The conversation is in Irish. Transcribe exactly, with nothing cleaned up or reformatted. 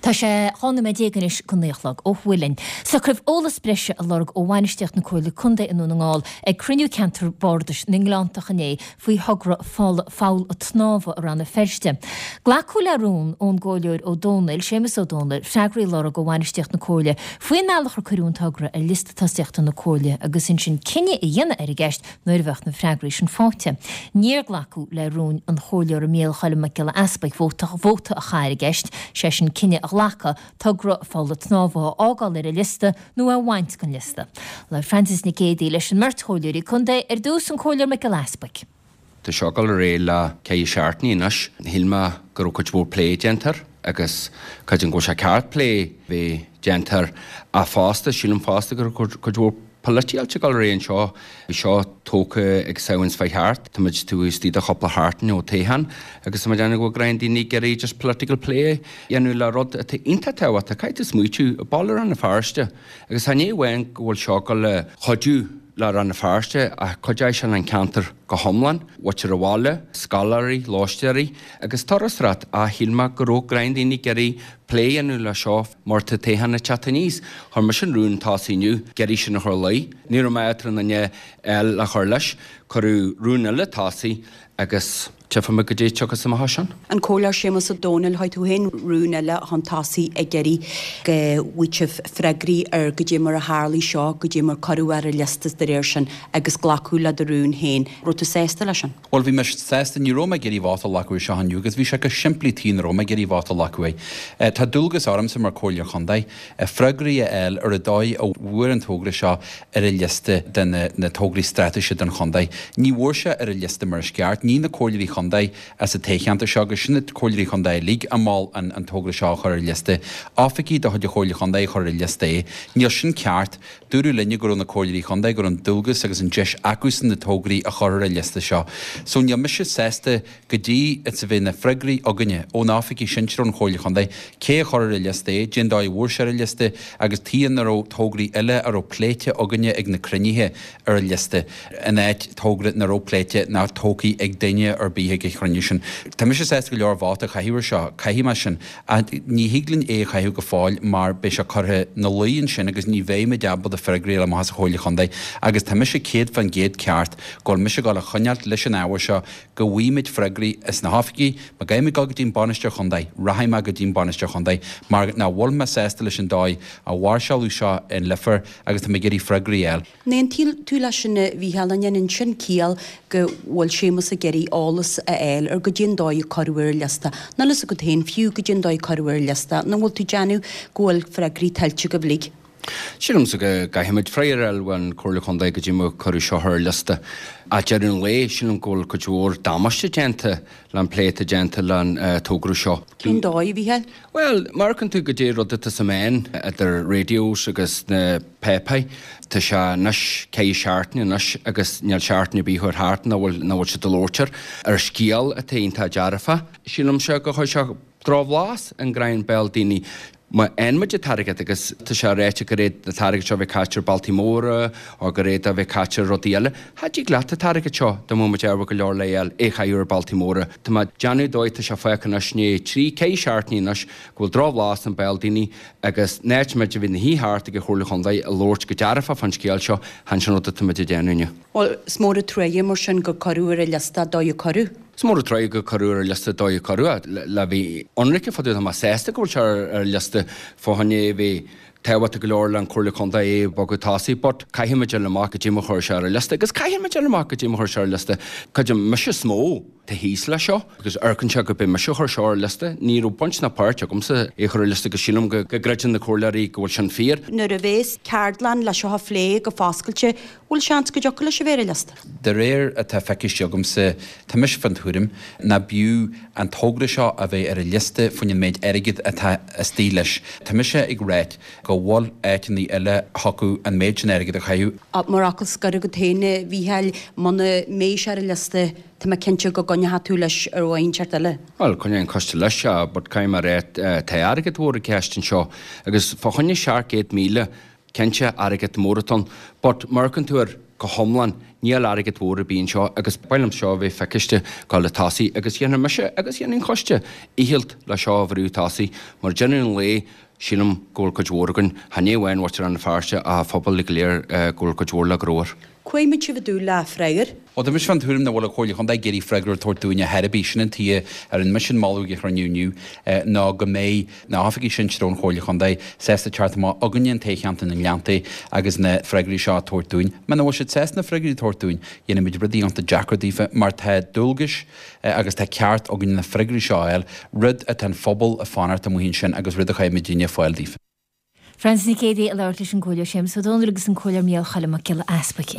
Tá sé dhá nóiméad déag anois go naoi a chlog ó thuaidh linn. Socraíodh eolas breise a lorg ó bhainistíocht na Comhairle Contae i nDún na nGall ag cruinniú ceantar bardais na nGleanntach inné faoi thogra fála pholl tsnámha i Rann na Feirste. Glacadh le rún ón gComhairleoir Ó Dónaill, Séamus Ó Dónaill, freagraí a lorg ó bhainistíocht na Comhairle faoin mbealach ar cuireadh an togra ar liosta tosaíochta na Comhairle agus ansin cinneadh a dhéanamh ar an gceist nuair a bheadh na freagraí sin faighte. Níor glacadh le rún an Chomhairleora Mícheál Choilm Mac Giolla Easpaig vóta vóta a chaitheamh ar an gceist, sé sin cinneadh a ghlacadh togra pholl tsnámha a fhágáil ar an liosta nó a bhaint den liosta. Labhair Frances Nic Géadaigh leis an mbeirt chomhairleoirí contae ar dtús an Comhairleoir Mac Giolla Easpaig. Tá seo ag dul ar aghaidh le ceithre seachtainí anois. Shíl mé go raibh cuid mhór plé déanta air agus creidim go bhfuil sé ceart plé bheith déanta air ach fosta, sílim fosta go raibh cuid mhór polaitíocht ag dul ar aghaidh anseo. Bhí seo tógtha ag Samhain seo thart. Tá muid taobh istigh de chúpla seachtain ó toghchán agus tá muid ag déanamh go bhfuil daoine ag iarraidh just political play a dhéanamh le rud atá iontach tábhachtach. Caithfidh tú smaoitiú, baile Rann na Feirste agus tá ní amháin go bhfuil seo ag dul le cuidiú le Rann na Feirste ach cuideoidh sé an ceantar go hiomlán, muintir an bhaile, scoláirí, lóistéirí agus turasóireacht ach shíl mé go raibh gnáth daoine ag iarraidh plé a dhéanamh le seo mar tá toghchán ag teacht aníos. Chuir mise an rún tosaigh inniu, ag iarraidh sin a chur luí. Ní raibh mé tar an duine eile le chur leis. Cuireadh rún eile tosaigh agus tchífidh muid goidé tiocfas amach as sin. An Comhairleoir Séamus Ó Dónaill, chuir tú féin rún eile chun tosaigh ag iarraidh go bhfaighidh sibh freagraí ar goidé mar a tharlaigh seo, goidé mar cuireadh ar an liosta de réir sin agus glacadh le do rún féin. Raibh tú sásta leis sin? Bhuel bhí mé sásta ní raibh mé ag iarraidh vóta a ghlacadh seo inniu agus bhí sé go simplí tí nach raibh mé ag iarraidh vóta a ghlacadh é. Tá dualgas ormsa mar Comhairleoir Chontae freagraí a fháil ar an dóigh a bhfuair an togra seo ar an liosta de na, na tograí straitéise don chontae. Ní bhfuair sé ar an liosta mar is ceart, ní na comhairleoirí chontae as an toghcheantar seo agus sin na comhairleoirí chontae uilig a mhol an, an togra seo a chur ar an liosta. Oifigigh de chuid an Chomhairle Chontae a chur ar an liosta é. Níl sin ceart. Dúradh linne go raibh na comhairleoirí chontae go raibh an dualgas agus an deis acusan na tograí a chur ar an liosta seo. So níl mise sásta go dtí is a bheidh na freagraí againne ó na oifigigh sinsir ón Chomhairle Chontae cé a chur ar an liosta é, cén dóigh a bhfuair sé ar an liosta agus tuige nach raibh tograí eile a raibh pléite againne ag na cruinnithe ar an liosta in áit togra nach raibh pléite ná tógtha ag duine ar bith ag an chruinniú sin. Tá mise sásta go leor vóta a chaitheamh ar seo, caithfidh mé sin ní thig linn é a chaitheamh go fóill mar beidh sé curtha na luí ansin agus ní bheidh muid ábalta freagraí a fháil amach as an Chomhairle Chontae agus tá mise céad faoin gcéad ceart go bhfuil mise ag dul a choinneáilt leis an ábhar seo go bhfaighimid freagraí as na hoifigí, má gcaithfidh mé dul go dtí an bainisteoir chontae, rachaidh mé go dtí an bainisteoir chontae mar nach bhfuil mé sásta leis an dóigh a mhairseáladh seo in Leifear agus tá mé ag iarraidh freagraí a fháil. An aontaíonn tú leis sin a Mhícheáil an ndéanann sin ciall go bhfuil Séamus ag iarraidh eolas a fháil ar goidé an dóigh a cuireadh ar an liosta. Níl fhios agat féin fiú goidé an dóigh a cuireadh ar an liosta, nó bhfuil tú ag déanamh go bhfuil freagraí tuillte agaibh uilig. Sílimse go gcaithfimid freagra a fháil ón Chomhairle Chontae goidé mar cuireadh seo ar an liosta. Ag deireadh an lae, sílim go bhfuil cuid mhór damáiste déanta le an plé atá déanta le an togra seo. Cén dóigh, a Mhícheáil? Bhuel, má amharcann tú goidé rud atá sa meán idir radios agus na páipéir, tá sé anois ceithre seachtaine anois agus níl seachtain ar bith chuir thart nach bhfuil nach bhfuil siad ag labhairt air ar scéal atá iontach dearfach. Sílimse go chuir sé drochbhlas i ngreim béal daoine. Má fhaigheann muid an t-airgead agus tá sé ráite gur fhéad an t-airgead seo a bheith caite ar bealtaí móra nó gur fhéad a bheith caite ar rudaí eile, cha dtig leat an t-airgead seo dá mbeadh muid ábhar go leor le fháil, é a chaitheamh ar bealtaí móra. Tá mé ag déanamh dóigh tá sé fágtha anois ní trí, ceithre seachtainí anois go bhfuil drochbhlas i mbéal daoine agus in áit muid a bheith ina shuí thart ag an Chomhairle Chontae ag labhairt go dearfach fán scéal seo, chan sin rud atá muid ag déanamh inniu. Bhuel, is mór an truaighe mar sin gur cuireadh ar an liosta dóigh a cuireadh. Is mór an truaighe gur cuireadh ar an liosta dóigh a cuireadh le bheith ionraice fá dtaobh tá mé sásta go bhfuil sé ar an liosta fá choinne é bheith tábhachtach go leor le an Comhairle Contae é a bhogadh tosaigh but caithfidh muid dul amach goidé mar chuir sé ar an liosta agus caithfidh muid dul amach goidé mar chuir sé ar an liosta creidim mise is mó tá thíos leis seo agus amharcann sé go b'é mise a chuir seo ar an liosta ní raibh baint ná páirt agamsa é a chur ar an liosta agus sílim go gcreideann na comhairleoirí go bhfuil sin fíor. Nuair a bhéas ceardlann le seo a phlé go foscailte bhfuil seans go dtiocfadh leis a bheith ar an liosta? De réir atá feiciste agamsa, tá mise fan tuairim ná b'fhiú an togra seo a bheith ar an liosta faoin an méid airgid atá istigh leis. Tá mise ag ráit go bhfuil áiteanna eile thiocfadh an méid sin airgid a chaitheamh. Mar fhocal scoir agat féin, a Mhícheáil, muna mbeidh sé ar an liosta, tá mé cinnte go gcoinneoidh tú leis ar dhóigh inteacht eile. Bhuel, coinneoidh an coiste leis, but caithfidh mé a rá, tá airgead mhór i gceist anseo agus fá choinne seacht gcéad míle, cinnte, airgead mór atá ann, but má amharcann tú ar go hiomlán, níl airgead mhór ar bith anseo agus ba mhaith liom seo a bheith feiciste dul le tosaigh agus dhéanfaidh mise agus dhéanfaidh an coiste iarracht le seo a bhrú tosaigh mar deireadh an lae sílim go bhfuil cuid mhór againn, chan é amháin muintir Rann na Feirste ach an phobal go léir go bhfuil cuid mhór le gnóthú air. Cá mbeidh sibh ag dúil le freagra? Bhuel, tá mise fán tuairim nach bhfuil an Chomhairle Chontae ag iarraidh freagra a tabhairt dúinne ar chor ar bith. Sin an tuige a rinne mise an moladh ag an chruinniú inniu ná go mbeidh na hoifigigh sinsir ón Chomhairle Chontae sásta teacht amach chugainne in toghcheantar na nGleanntaí agus na freagraí seo a tabhairt dúinn. Muna bhfuil siad sásta na freagraí a tabhairt dúinn, dhéanfaimid rudaí iontach deacair daofa mar tá dualgais agus tá ceart againn na freagraí seo a fháil, rud atá an phobal ag fanacht amuigh ansin agus rud a chaithfidh muidinne fáil daofa. Frances Nic Géadaigh ag labhairt leis an gComhairleoir Séamus Ó Domhnaill agus an Comhairleoir Micheál Choilm Mac Giolla Easbuic.